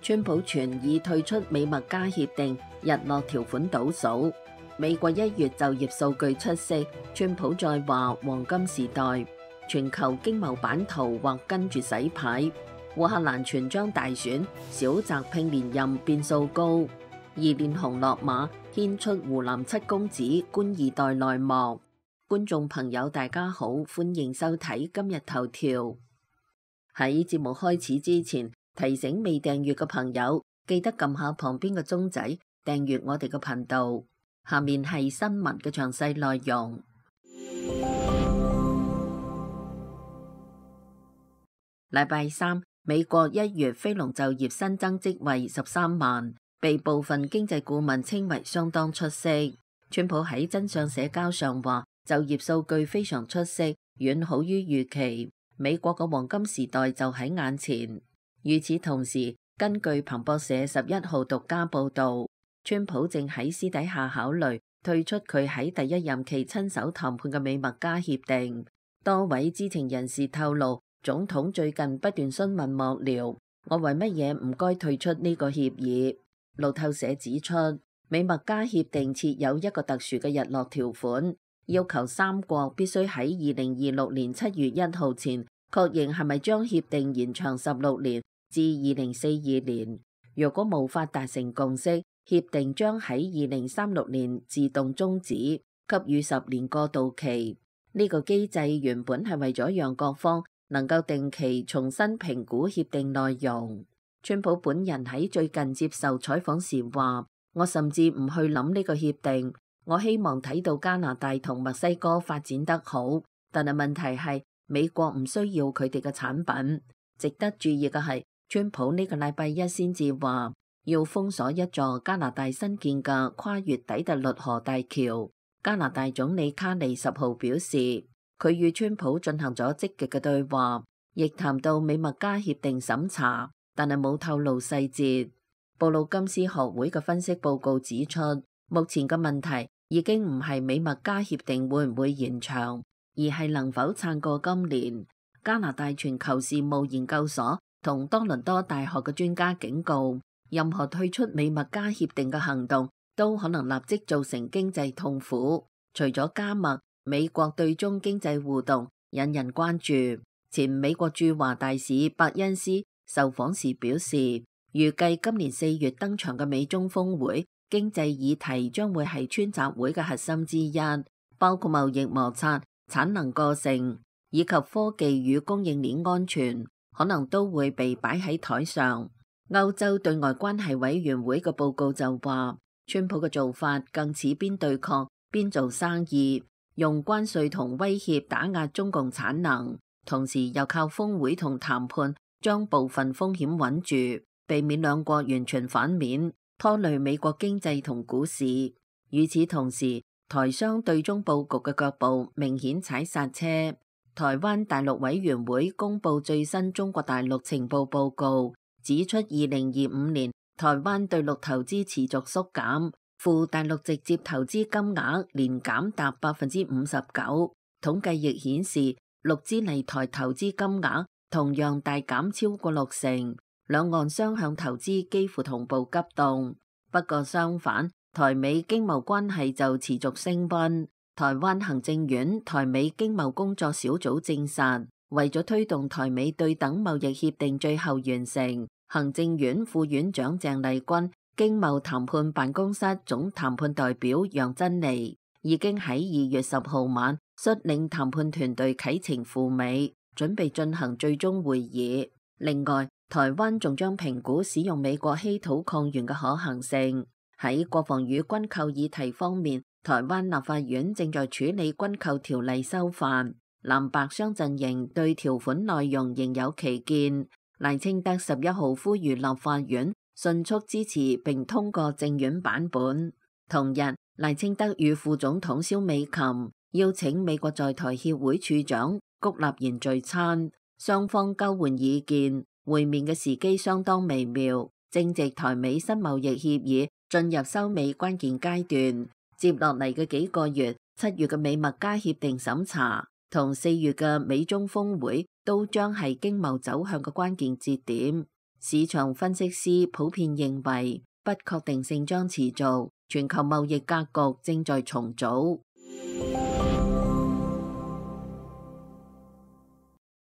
川普傳已退出美墨加協定，日落條款倒數。美國1月就業數據出色，川普再話黃金時代，全球經貿版圖或跟住洗牌。烏克蘭全將大選，小澤拼連任變數高。二連紅落馬，牽出湖南七公子官二代內幕。觀眾朋友大家好，歡迎收睇今日頭條。喺節目開始之前，提醒未訂閱嘅朋友，記得撳下旁邊嘅鐘仔，訂閱我哋嘅頻道。下面係新聞嘅詳細內容。禮拜三，美國1月非農就業新增職位13萬，被部分經濟顧問稱為相當出色。川普喺真相社交上話，就業數據非常出色，遠好於預期。美國嘅黃金時代就喺眼前。與此同時，根據彭博社11號獨家報導，川普正喺私底下考慮退出佢喺第一任期親手談判嘅美墨加協定。多位知情人士透露，總統最近不斷詢問幕僚：我為乜嘢唔該退出呢個協議？路透社指出，美墨加協定設有一個特殊嘅日落條款，要求三國必須喺2026年7月1號前確認係咪將協定延長16年至2042年。若果無法達成共識，協定將喺2036年自動終止，給予10年過渡期。呢個機制原本係為咗讓各方能夠定期重新評估協定內容。川普本人喺最近接受採訪時話：我甚至唔去諗呢個協定，我希望睇到加拿大同墨西哥發展得好，但係問題係美國唔需要佢哋嘅產品。值得注意嘅係，川普呢個禮拜一先至話要封鎖一座加拿大新建嘅跨越底特律河大橋。加拿大總理卡尼10號表示，佢與川普進行咗積極嘅對話，亦談到美墨加協定審查，但係冇透露細節。布魯金斯學會嘅分析報告指出，目前嘅問題已經唔係美墨加協定會唔會延長，而係能否撐過今年。加拿大全球事務研究所同多倫多大學嘅專家警告，任何退出美墨加協定嘅行動都可能立即造成經濟痛苦。除咗加墨，美國對中經濟互動引人關注。前美國駐華大使伯恩斯受訪時表示，預計今年4月登場嘅美中峰會，經濟議題將會係川習會嘅核心之一，包括貿易摩擦、產能過剩以及科技與供應鏈安全，可能都會被擺喺台上。歐洲對外關係委員會嘅報告就話，川普嘅做法更似邊對抗邊做生意，用關稅同威脅打壓中共產能，同時又靠峰會同談判將部分風險穩住，避免兩國完全反面，拖累美國經濟同股市。與此同時，台商對中佈局嘅腳步明顯踩剎車。台灣大陸委員會公布最新中國大陸情報報告，指出2025年台灣對陸投資持續縮減，赴大陸直接投資金額年減達59%。統計亦顯示，陸資嚟台投資金額同樣大減超過60%，兩岸雙向投資幾乎同步急凍。不過相反，台美經貿關係就持續升溫。台灣行政院台美經貿工作小組證實，為咗推動台美對等貿易協定最後完成，行政院副院長鄭麗君、經貿談判辦公室總談判代表楊珍妮已經喺2月10號晚率領談判團隊啟程赴美，準備進行最終會議。另外，台灣仲將評估使用美國稀土礦源嘅可行性。喺國防與軍購議題方面，台灣立法院正在處理軍購條例修法，藍白雙陣營對條款內容仍有歧見。賴清德11號呼籲立法院迅速支持並通過政院版本。同日，賴清德與副總統蕭美琴邀請美國在台協會處長谷立言聚餐，雙方交換意見。會面嘅時機相當微妙，正值台美新貿易協議進入收尾關鍵階段。接落嚟嘅幾個月，7月嘅美墨加協定審查同4月嘅美中峰會都將係經貿走向嘅關鍵節點。市場分析師普遍認為不確定性將持續，全球貿易格局正在重組。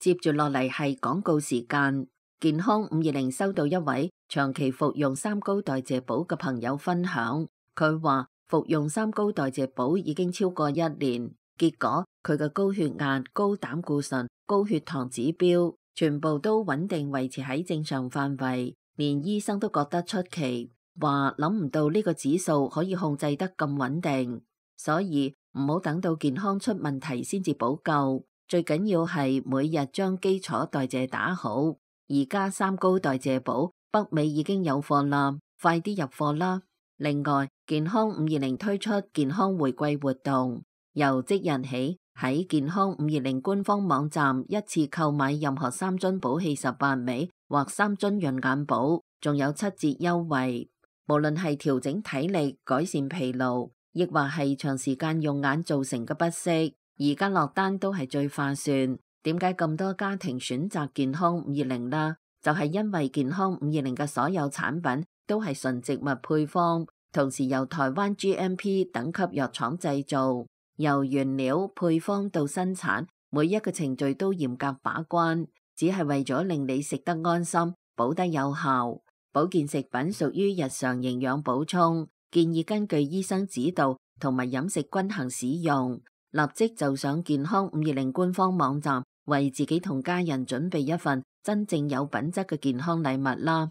接住落嚟係廣告時間。健康520收到一位長期服用三高代謝寶嘅朋友分享，佢話服用三高代謝寶已經超過1年，結果佢嘅高血壓、高膽固醇、高血糖指標全部都穩定維持喺正常範圍，連醫生都覺得出奇，話諗唔到呢個指數可以控制得咁穩定，所以唔好等到健康出問題先至補救，最緊要係每日將基礎代謝打好。而家三高代謝寶北美已經有貨啦，快啲入貨啦！另外，健康520推出健康回饋活動，由即日起喺健康520官方網站一次購買任何3樽寶氣18味或3樽潤眼寶，仲有7折優惠。無論係調整體力、改善疲勞，亦或係長時間用眼造成嘅不適，而家落單都係最划算。點解咁多家庭選擇健康520啦？就係因為健康520嘅所有產品都係純植物配方，同時由台灣 GMP 等級藥廠製造，由原料配方到生產，每一個程序都嚴格把關，只係為咗令你食得安心，補得有效。保健食品屬於日常營養補充，建議根據醫生指導同埋飲食均衡使用。立即就上健康520官方網站，為自己同家人準備一份真正有品質嘅健康禮物啦！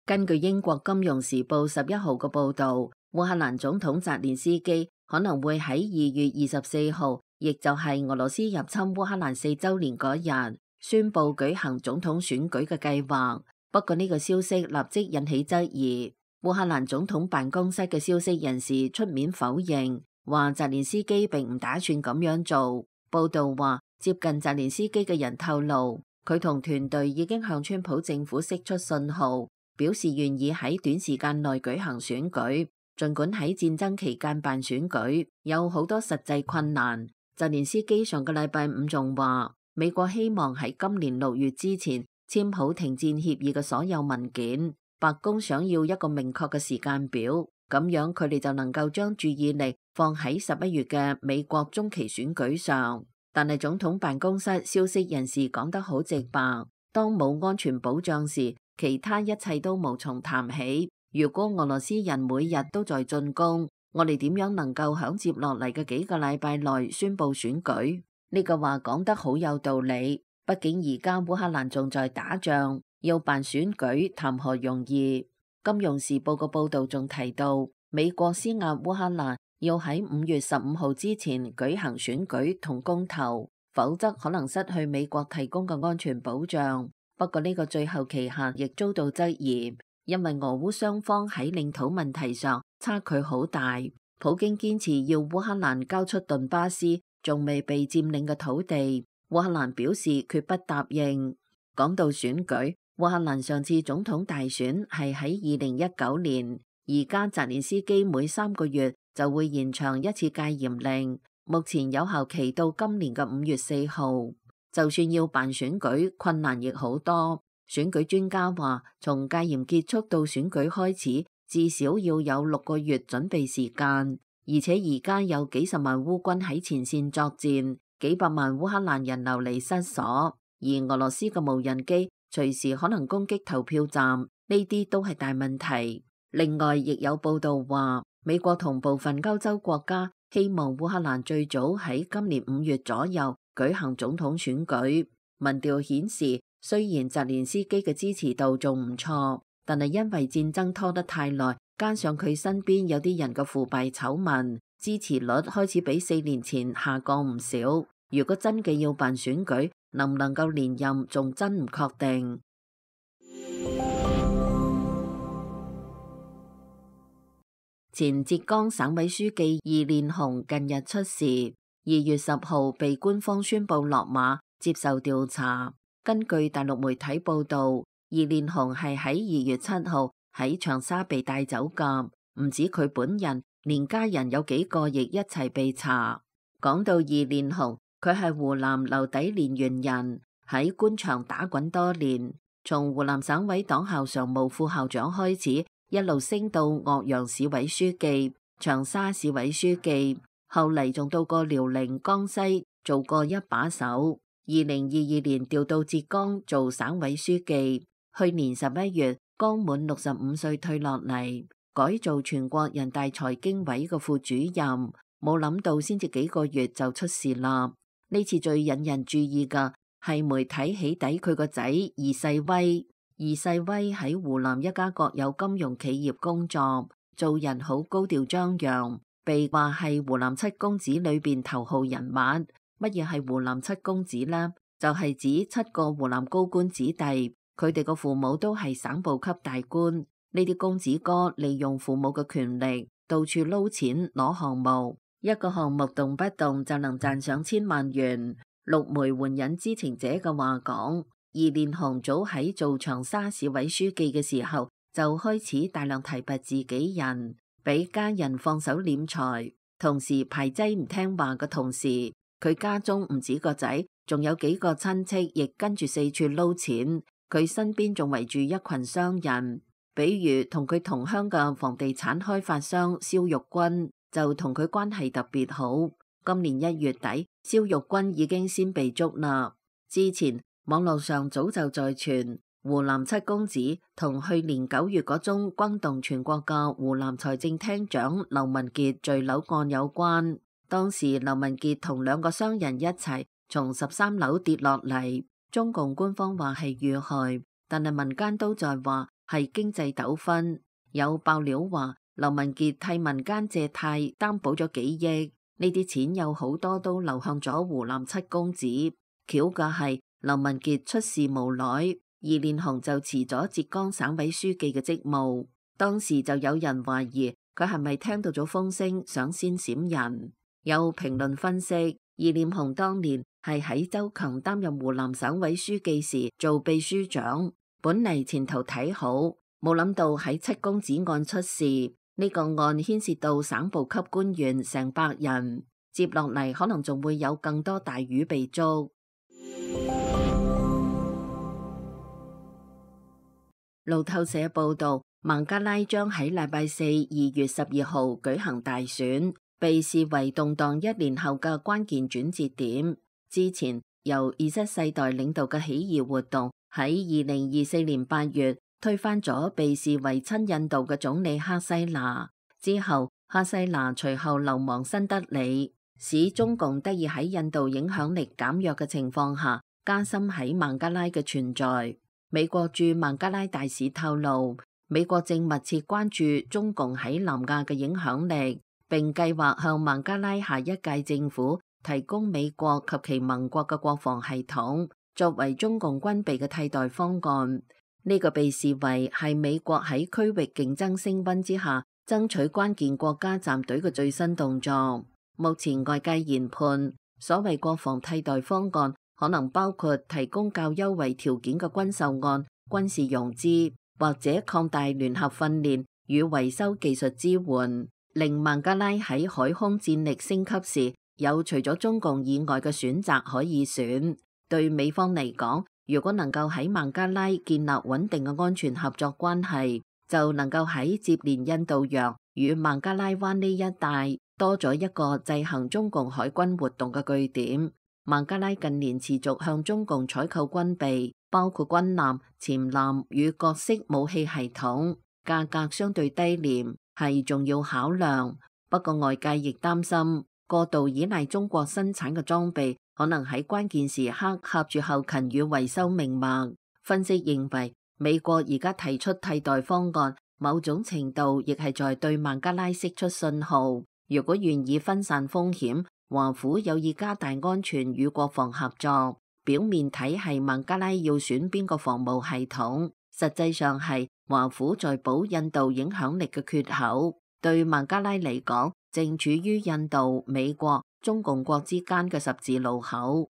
根據英國金融時報11號嘅報導，烏克蘭總統澤連斯基可能會喺2月24號，亦就係俄羅斯入侵烏克蘭4週年嗰日，宣布舉行總統選舉嘅計劃。不過呢個消息立即引起質疑。烏克蘭總統辦公室嘅消息人士出面否認，話澤連斯基並唔打算咁樣做。報道話，接近澤連斯基嘅人透露，佢同團隊已經向川普政府釋出信號，表示願意喺短時間內舉行選舉。儘管喺戰爭期間辦選舉有好多實際困難，澤連斯基上個禮拜五仲話，美國希望喺今年6月之前簽好停戰協議嘅所有文件。白宮想要一個明確嘅時間表，咁樣佢哋就能夠將注意力放喺11月嘅美國中期選舉上。但係總統辦公室消息人士講得好直白，當冇安全保障時，其他一切都無從談起。如果俄羅斯人每日都在進攻，我哋點樣能夠響接落嚟嘅幾個禮拜內宣布選舉？呢個話講得好有道理，畢竟而家烏克蘭仲在打仗。要辦選舉談何容易？金融時報嘅報導仲提到，美國施壓烏克蘭要喺5月15號之前舉行選舉同公投，否則可能失去美國提供嘅安全保障。不過呢個最後期限亦遭到質疑，因為俄烏雙方喺領土問題上差距好大。普京堅持要烏克蘭交出頓巴斯仲未被佔領嘅土地，烏克蘭表示決不答應。講到選舉，烏克蘭上次總統大選係喺2019年，而家澤連斯基每3個月就會延長一次戒嚴令，目前有效期到今年嘅5月4號。就算要辦選舉，困難亦好多。選舉專家話，從戒嚴結束到選舉開始，至少要有6個月準備時間，而且而家有幾十萬烏軍喺前線作戰，幾百萬烏克蘭人流離失所，而俄羅斯嘅無人機隨時可能攻擊投票站，呢啲都係大問題。另外，亦有報道話，美國同部分歐洲國家希望烏克蘭最早喺今年5月左右舉行總統選舉。民調顯示，雖然澤連斯基嘅支持度仲唔錯，但係因為戰爭拖得太耐，加上佢身邊有啲人嘅腐敗醜聞，支持率開始比4年前下降唔少。如果真嘅要辦選舉，能唔能夠連任仲真唔確定。前浙江省委書記易煉紅近日出事，2月10號被官方宣布落馬接受調查。根據大陸媒體報道，易煉紅係喺2月7號喺長沙被帶走㗎，唔止佢本人，連家人有幾個亦一齊被查。講到易煉紅，佢係湖南留底蓮縣人，喺官場打滾多年，從湖南省委黨校常務副校長開始，一路升到岳陽市委書記、長沙市委書記，後嚟仲到過遼寧、江西做過一把手。2022年調到浙江做省委書記，去年11月剛滿65歲退落嚟，改做全國人大財經委嘅副主任。冇諗到先至幾個月就出事啦。呢次最引人注意嘅係媒體起底佢個仔二世威。二世威喺湖南一家國有金融企業工作，做人好高調張揚，被話係湖南七公子裏邊頭號人物。乜嘢係湖南七公子呢？就係指7個湖南高官子弟，佢哋個父母都係省部級大官。呢啲公子哥利用父母嘅權力，到處撈錢攞項目。一個項目動不動就能賺上千萬元。陸媒援引知情者嘅話講，二連雄早喺做長沙市委書記嘅時候就開始大量提拔自己人，俾家人放手斂財，同時排擠唔聽話嘅同時，佢家中唔止個仔，仲有幾個親戚亦跟住四處撈錢。佢身邊仲圍住一群商人，比如同佢同鄉嘅房地產開發商肖玉軍就同佢關係特別好。今年1月底，肖玉軍已經先被捉啦。之前網絡上早就在傳湖南七公子同去年9月嗰宗轟動全國嘅湖南財政廳長劉文傑墜樓案有關。當時劉文傑同2個商人一齊從13樓跌落嚟，中共官方話係遇害，但係民間都在話係經濟糾紛。有爆料話劉文傑替民間借貸擔保咗幾億，呢啲錢有好多都流向咗湖南七公子。巧嘅係劉文傑出事無耐，二連雄就辭咗浙江省委書記嘅職務。當時就有人懷疑佢係咪聽到咗風聲想先閃人。有評論分析，二連雄當年係喺周強擔任湖南省委書記時做秘書長，本嚟前途睇好，冇諗到喺七公子案出事。呢個案牽涉到省部級官員成百人，接落嚟可能仲會有更多大魚被捉。路透社報道，孟加拉將喺禮拜4 2月12號舉行大選，被視為動盪1年後嘅關鍵轉折點。之前由Z世代領導嘅起義活動喺2024年8月推翻咗被視為親印度嘅總理哈西娜，之後哈西娜隨後流亡新德里，使中共得以喺印度影響力減弱嘅情況下加深喺孟加拉嘅存在。美國駐孟加拉大使透露，美國正密切關注中共喺南亞嘅影響力，並計劃向孟加拉下一屆政府提供美國及其盟國嘅國防系統，作為中共軍備嘅替代方案。呢個被視為係美國喺區域競爭升溫之下爭取關鍵國家站隊嘅最新動作。目前外界研判，所謂國防替代方案可能包括提供較優惠條件嘅軍售案、軍事融資，或者擴大聯合訓練與維修技術支援，令孟加拉喺海空戰力升級時有除咗中共以外嘅選擇可以選。對美方嚟講，如果能夠喺孟加拉建立穩定嘅安全合作關係，就能夠喺接連印度洋與孟加拉灣呢一帶多咗一個制衡中共海軍活動嘅據點。孟加拉近年持續向中共採購軍備，包括軍艦、潛艦與各式武器系統，價格相對低廉，係重要考量。不過外界亦擔心過度依賴中國生產嘅裝備，可能喺關鍵時刻掐住後勤與維修命脈。分析認為，美國而家提出替代方案，某種程度亦係在對孟加拉釋出信號。如果願意分散風險，華府有意加大安全與國防合作。表面睇係孟加拉要選邊個防務系統，實際上係華府在補印度影響力嘅缺口。對孟加拉嚟講，正處於印度、美國、中共國之間嘅十字路口。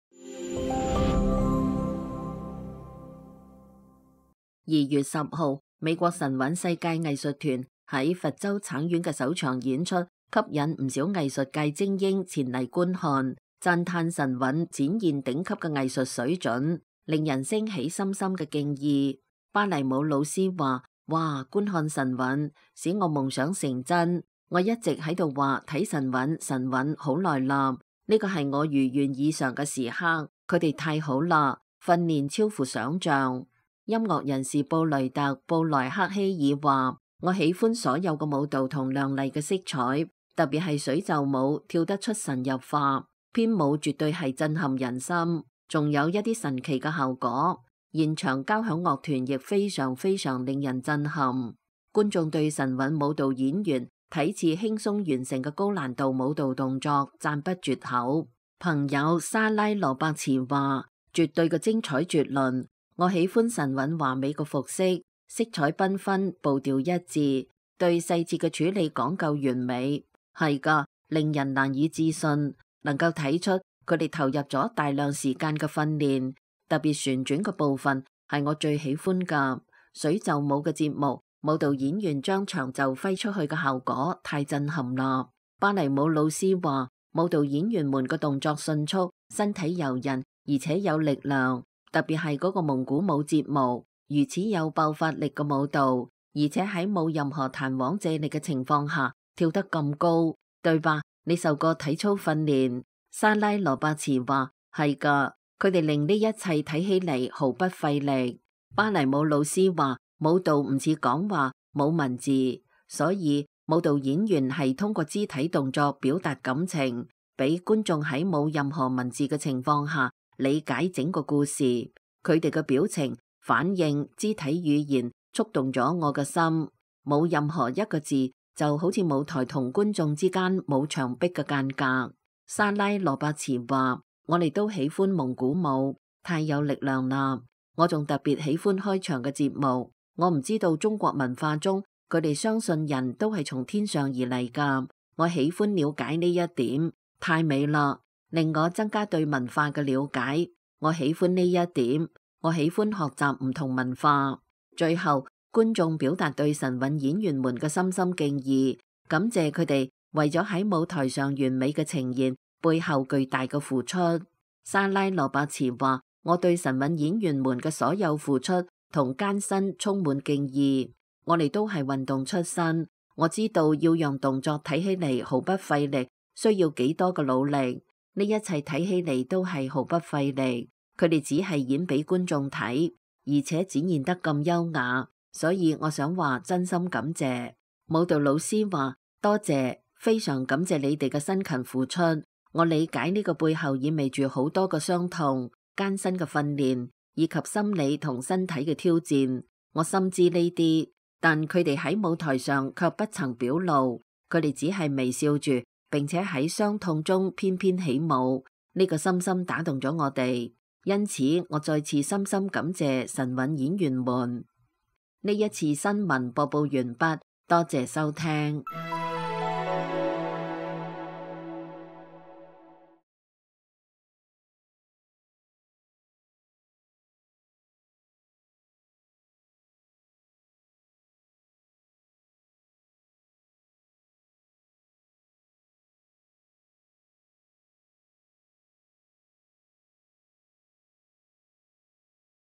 2月10號，美國神韻世界藝術團喺佛州橙縣嘅首場演出，吸引唔少藝術界精英前嚟觀看。讚嘆神韻展現頂級嘅藝術水準，令人升起深深嘅敬意。芭蕾舞老師話：哇，觀看神韻使我夢想成真。我一直喺度話睇神韻好耐啦，呢個係我如願以償嘅時刻。佢哋太好啦，訓練超乎想象。音樂人士布雷特·布萊克希爾話：我喜歡所有嘅舞蹈同亮麗嘅色彩，特別係水袖舞，跳得出神入化。編舞絕對係震撼人心，仲有一啲神奇嘅效果。現場交響樂團亦非常令人震撼。觀眾對神韻舞蹈演員睇似輕鬆完成嘅高難度舞蹈動作讚不絕口。朋友莎拉羅伯茨話：絕對嘅精彩絕倫。我喜歡神韻華美嘅服飾，色彩繽紛，步調一致，對細節嘅處理講究完美。係噶，令人難以置信，能夠睇出佢哋投入咗大量時間嘅訓練。特別旋轉嘅部分係我最喜歡噶。水袖舞嘅節目，舞蹈演員將長袖揮出去嘅效果太震撼啦。芭蕾舞老師話：舞蹈演員們嘅動作迅速，身體柔韌，而且有力量。特別係嗰個蒙古舞節目，如此有爆發力嘅舞蹈，而且喺冇任何彈簧借力嘅情況下跳得咁高，對吧？你受過體操訓練？莎拉羅伯茨話：係噶，佢哋令呢一切睇起嚟毫不費力。芭蕾舞老師話：舞蹈唔似講話，冇文字，所以舞蹈演員係通過肢體動作表達感情，俾觀眾喺冇任何文字嘅情況下理解整個故事。佢哋嘅表情、反應、肢體語言觸動咗我嘅心。冇任何一個字，就好似舞台同觀眾之間冇牆壁嘅間隔。莎拉羅伯茨話：我哋都喜歡蒙古舞，太有力量啦。我仲特別喜歡開場嘅節目。我唔知道中國文化中佢哋相信人都係從天上而嚟噶。我喜歡了解呢一點，太美啦，令我增加對文化嘅了解。我喜歡呢一點，我喜歡學習唔同文化。最後，觀眾表達對神韻演員們嘅深深敬意，感謝佢哋為咗喺舞台上完美嘅呈現背後巨大嘅付出。莎拉羅伯茨話：我對神韻演員們嘅所有付出同艱辛充滿敬意。我哋都係運動出身，我知道要讓動作睇起嚟毫不費力，需要幾多嘅努力。呢一切睇起嚟都係毫不費力，佢哋只係演俾觀眾睇，而且展現得咁優雅，所以我想話真心感謝。舞蹈老師話：多謝，非常感謝你哋嘅辛勤付出。我理解呢個背後意味住好多嘅傷痛、艱辛嘅訓練，以及心理同身體嘅挑戰。我深知呢啲，但佢哋喺舞台上卻不曾表露，佢哋只係微笑住，並且喺傷痛中翩翩起舞。呢個深深打動咗我哋，因此我再次深深感謝神韻演員們。呢一次新聞播報完畢，多謝收聽。